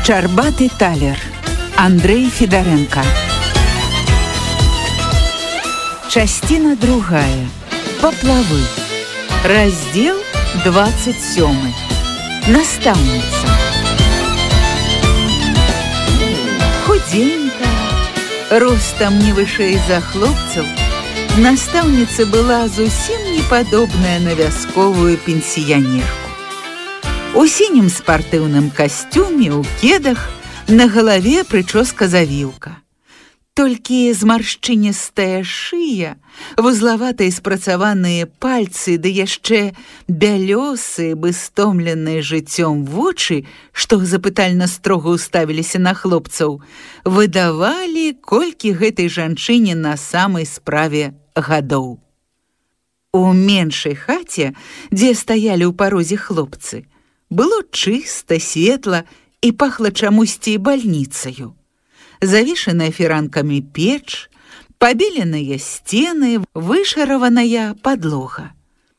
Щарбаты талер. Андрей Федоренко. Частина другая. Поплавы. Раздел 27. Настаўніца. Худенькая, ростом не вышэй за хлопцаў, настаўніца была зусім не падобная на вясковую пенсіянерку. У сінім спартыўным касцюме, у кедах, на галаве прычоска-завіўка. Толькі змаршчыністая шыя, вузлаватыя спрацаваныя пальцы, ды яшчэ бялёсыя, бы стомленыя жыццём вочы, што запытальна строга ўставіліся на хлопцаў, выдавалі, колькі гэтай жанчыне на самай справе гадоў. У меншай хаце, дзе стаялі ў парозе хлопцы, было чыста, светла і пахла чамусьці бальніцаю. Завешаная фіранкамі печ, пабеленыя сцены, вышараваная падлога.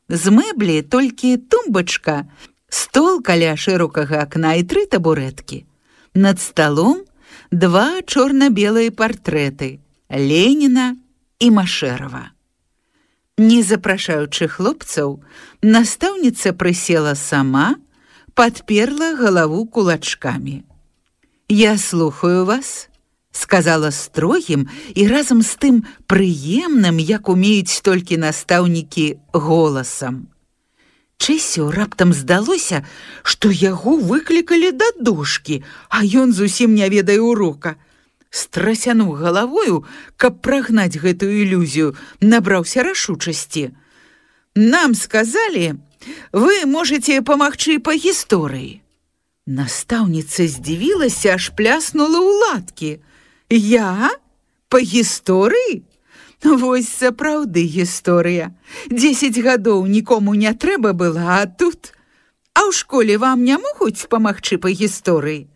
З мэблі толькі тумбачка, стол каля шырокага акна і 3 табурэткі. Над сталом 2 чорна-белыя партрэты Леніна і Машэрава. Не запрашаючы хлопцаў, настаўніца прысела сама, падперла галаву кулачкамі. «Я слухаю вас», — сказала строгім і разам з тым прыемным, як умеюць толькі настаўнікі, голасам. Чэсю раптам здалося, што яго выклікалі да дошкі, а ён зусім не ведае урока. Страсянуў галавою, каб прагнаць гэтую ілюзію, набраўся рашучасці. «Нам сказалі, вы можете памагчы па гісторыі». Настаўніца здзівілася, аж пляснула ў ладкі. «Я? Па гісторыі? Вось сапраўды гісторыя. 10 гадоў нікому не трэба была, а тут... А ў школе вам не могуць памагчы па гісторыі?»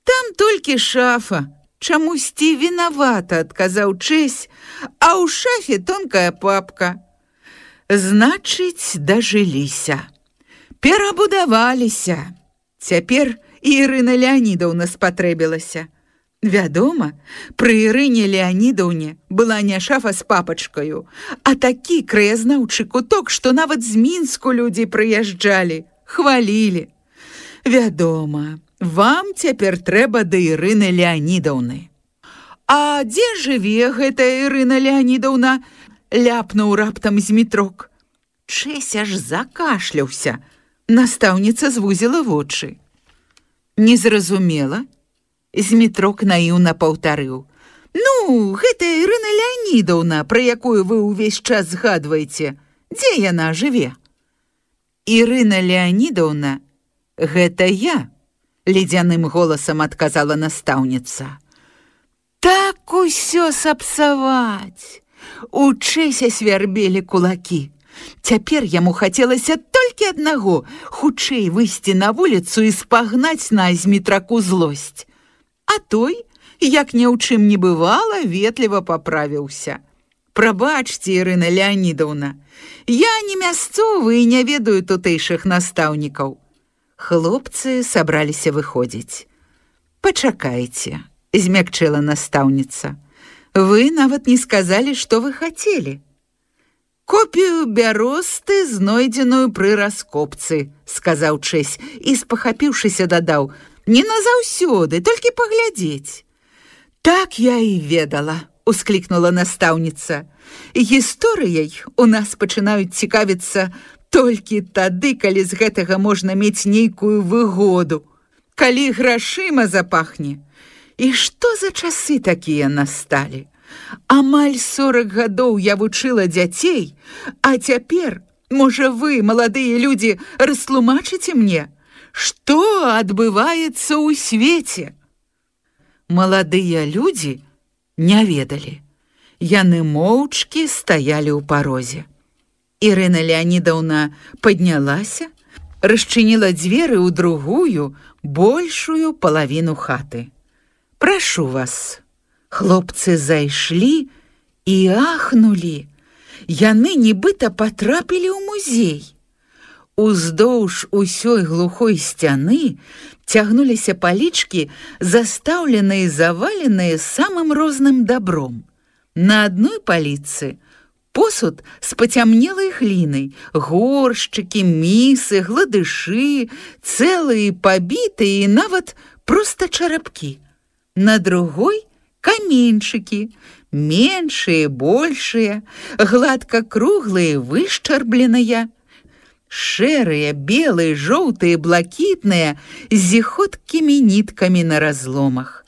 «Там толькі шафа. Чамусьці вінавата», — адказаў Чэсь, «а ў шафе тонкая папка». Значыць, дажыліся. Перабудаваліся. Цяпер і Ірына Леанідаўна спатрэбілася. Вядома, пры Ірыне Леанідаўне была не шафа з папачкаю, а такі краязнаўчы куток, што нават з Мінску людзі прыязджалі, хвалілі. Вядома, вам цяпер трэба да Ірыны Леанідаўны. «А дзе жыве гэтая Ірына Леанідаўна?» — ляпнуў раптам Змітрок. Чэсь аж закашляўся. Настаўніца звузіла вочы. «Не зразумела?» Змітрок наіўна паўтарыў. «Ну, гэта Ірына Леанідаўна, пра якую вы ўвесь час згадваеце. Дзе яна жыве?» «Ірына Леанідаўна, гэта я», — ледзяным голасам адказала настаўніца. «Так усё сапсаваць!» У Чэся свярбелі кулакі. Цяпер яму хацелася толькі аднаго — хутчэй выйсці на вуліцу і спагнаць на Змітраку злосць. А той, як ні ў чым не бывала, ветліва паправіўся. «Прабачце, Ірына Леанідаўна, я не мясцовы і не ведаю тутэйшых настаўнікаў». Хлопцы сабраліся выходзіць. «Пачакайце», — змякчэла настаўніца. «Вы нават не сказалі, што вы хацелі». «Копію бяросты, знойдзеную пры раскопцы», — сказаў Чэсь і, спахапіўшыся, дадаў: «Не назаўсёды, толькі паглядзець». «Так я і ведала», — усклікнула настаўніца. «Гісторыяй у нас пачынаюць цікавіцца толькі тады, калі з гэтага можна мець нейкую выгоду, калі грашыма запахне. І што за часы такія насталі? Амаль 40 гадоў я вучыла дзяцей, а цяпер, можа, вы, маладыя людзі, растлумачыце мне, што адбываецца ў свеце?» Маладыя людзі не ведалі. Яны моўчкі стаялі ў парозе. Ірына Леанідаўна паднялася, расчыніла дзверы ў другую, большую палавіну хаты. «Прашу вас». Хлопцы зайшлі і ахнулі. Яны нібыта патрапілі ў музей. Уздоўж усёй глухой сцяны цягнуліся палічкі, застаўленыя і заваленыя самым розным дабром. На адной паліцы посуд з пацямнелай глінай, горшчыкі, місы, гладышы, цэлыя, пабітыя і нават проста чарапкі. На другой каменьчыкі, меншыя, большыя, гладка круглыя, вышчарбленыя, шэрыя, белыя, жоўтыя, блакітныя, з зіхоткімі ніткамі на разломах.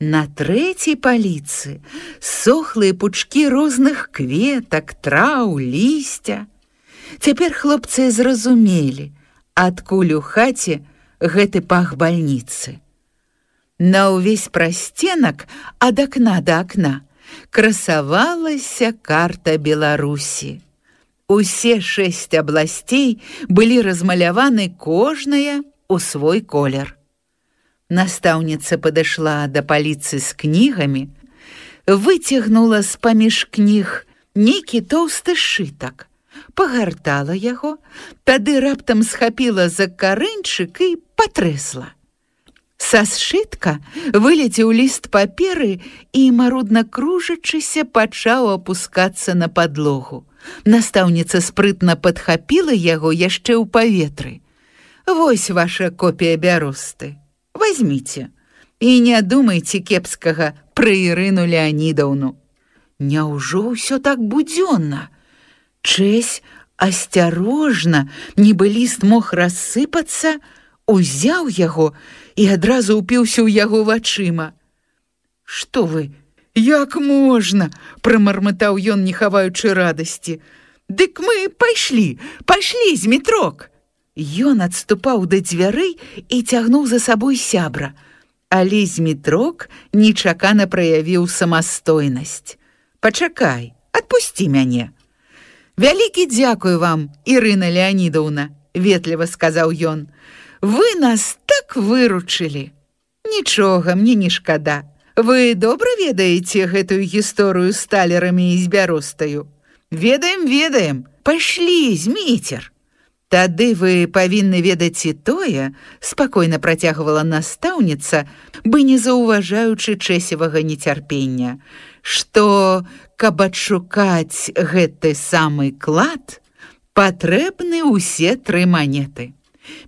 На трэцяй паліцы сохлыя пучкі розных кветак, траў, лісця. Цяпер хлопцы зразумелі, адкуль у хаце гэты пах бальніцы. На ўвесь прасценак ад акна да акна красавалася карта Беларусі. Усе 6 абласцей былі размаляваны кожная ў свой колер. Настаўніца падышла да паліцы з кнігамі, выцягнула з-паміж кніг нейкі тоўсты сшытак, пагартала яго, тады раптам схапіла за карэньчык і патрэсла. Са сшытка вылецеў ліст паперы і, марудна кружачыся, пачаў апускацца на падлогу. Настаўніца спрытна падхапіла яго яшчэ ў паветры. «Вось ваша копія бяросты. Возьміце і не думайце кепскага пра Ірыну Леанідаўну». Няўжо ўсё так будзённа? Чэсь асцярожна, нібы ліст мог рассыпацца, узяў яго і адразу ўпіўся ў яго вачыма. «Што вы, як можна?» – прамармытаў ён, не хаваючы радасці. «Дык мы пайшлі, Змітрок!» Ён адступаў да дзвярэй і цягнуў за сабой сябра, але Змітрок нечакана праявіў самастойнасць. «Пачакай, адпусці мяне». «Вялікі дзякуй вам, Ірына Леанідаўна», – ветліва сказаў ён. «Вы нас так выручылі». «Нічога, мне не шкада. Вы добра ведаеце гэтую гісторыю з талерамі і з бяростаю?» «Ведаем. Пайшлі, Зміцер». «Тады вы павінны ведаць і тое», – спакойна працягвала настаўніца, бы не заўважаючы Чэсевага нецярпення, што, каб адшукаць гэты самы клад, патрэбны ўсе 3 манеты.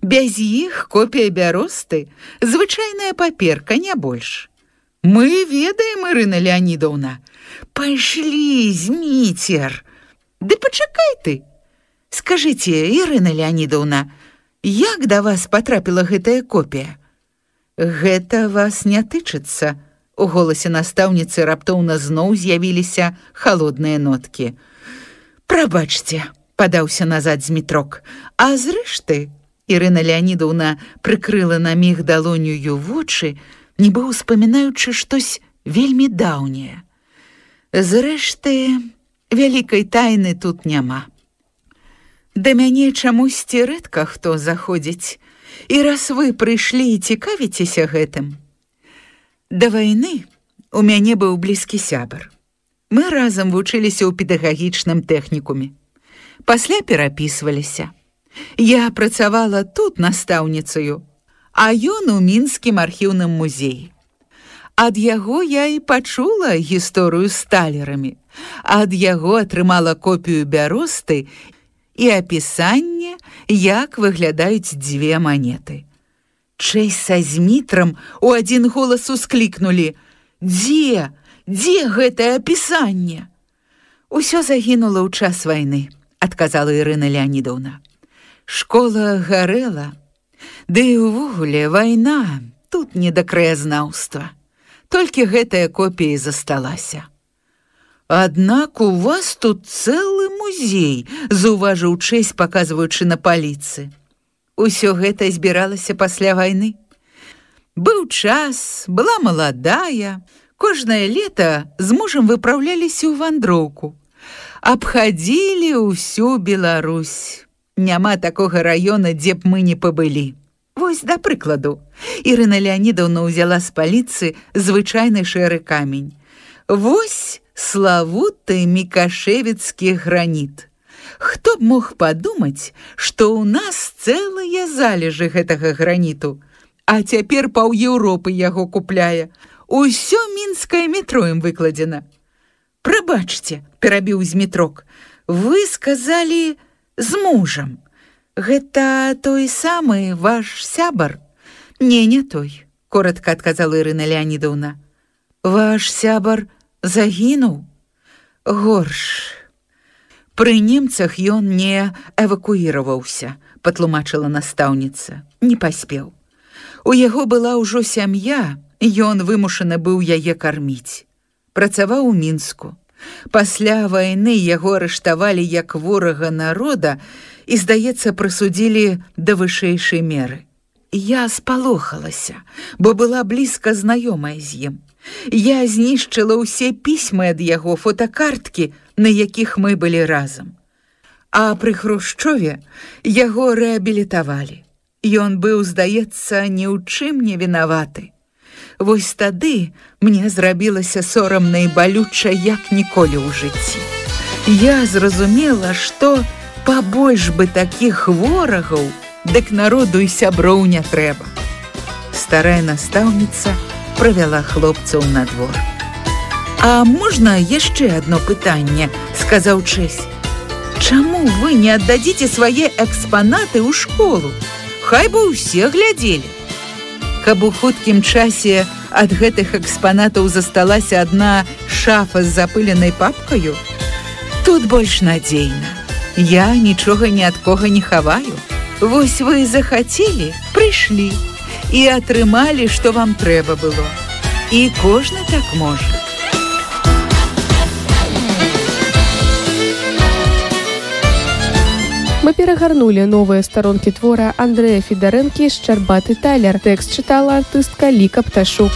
Без іх копія бяросты – звычайная паперка, не больш». «Мы ведаем, Ірына Леанідаўна». «Пайшлі, Зміцер». «Ды пачакай ты. Скажыце, Ірына Леанідаўна, як да вас патрапіла гэтая копія?» «Гэта вас не тычыцца». У голасе настаўніцы раптоўна зноў з'явіліся халодныя ноткі. «Прабачце», – падаўся назад Змітрок. «А зрэшты», – Ірына Леанідаўна прыкрыла на міг далонню вочы, нібы ўспамінаючы штось вельмі даўняе. «Зрэшты, вялікай тайны тут няма. Да мяне чамусьці рэдка хто заходзіць, і раз вы прыйшлі і цікавіцеся гэтым. Да вайны у мяне быў блізкі сябар. Мы разам вучыліся ў педагагічным тэхнікуме. Пасля перапісваліся. Я працавала тут настаўніцаю, а ён у мінскім архіўным музеі. Ад яго я і пачула гісторыю з талерамі, ад яго атрымала копію бяросты і апісанне, як выглядаюць 2 манеты. Чэсь са Змітрам у адзін голас усклікнулі: «Дзе гэтае апісанне?» «Усё загінула ў час вайны», – адказала Ірына Леанідаўна. «Школа гарэла, ды і ўвогуле вайна тут не да краязнаўства. Толькі гэтая копія засталася». «Аднак у вас тут цэлы музей», – заўважыў Чэсь, паказваючы на паліцы. «Усё гэта збіралася пасля вайны. Быў час, была маладая, кожнае лета з мужам выпраўляліся ў вандроўку. Абхадзілі ўсю Беларусь. Няма такога раёна, дзе б мы не пабылі. Вось, да прыкладу, Ірына Леанідаўна ўзяла з паліцы звычайны шэры камень. Вось славуты мікашэвіцкі граніт. Хто б мог падумаць, што ў нас цэлыя залежы гэтага граніту, а цяпер паўЕўропы яго купляе. Усё мінскае метро ім выкладзена. Прабачце, перабіў Змітрок, вы сказалі з мужам. Гэта той самы ваш сябар? Не той, коротко адказала Ірына Леанідаўна. Ваш сябар загінуў? Горш. Пры немцах ён не эвакуіраваўся, патлумачыла настаўніца. Не паспеў. У яго была ўжо сям'я, ён вымушаны быў яе карміць. Працаваў у Мінску. Пасля вайны яго арыштавалі як ворага народа і, здаецца, прысудзілі да вышэйшай меры. Я спалохалася, бо была блізка знаёмая з ім. Я знішчыла ўсе пісьмы ад яго, фотакарткі, на якіх мы былі разам. А пры Хрушчове яго рэабілітавалі. Ён быў, здаецца, ні ў чым не вінаваты. Вось тады мне зрабілася сорамна і балюча, як ніколі ў жыцці. Я зразумела, што пабольш бы такіх ворагаў, дык народу і сяброў не трэба. Старая настаўніца правяла хлопцаў на двор. А можна яшчэ адно пытанне, сказаў Чэсь. Чаму вы не аддадзіце свае экспанаты ў школу? Хай бы ўсе глядзелі. Каб у хуткім часе ад гэтых экспанатаў засталася адна шафа з запыленай папкаю, тут больш надзейна. Я нічога ні ад кога не хаваю. Вось вы захацелі, прыйшлі і атрымалі, што вам трэба было. І кожны так можа. Мы перагарнулі новыя старонкі твора Андрэя Федарэнкі «Шчарбаты талер». Тэкст чытала артыстка Ліка Пташук.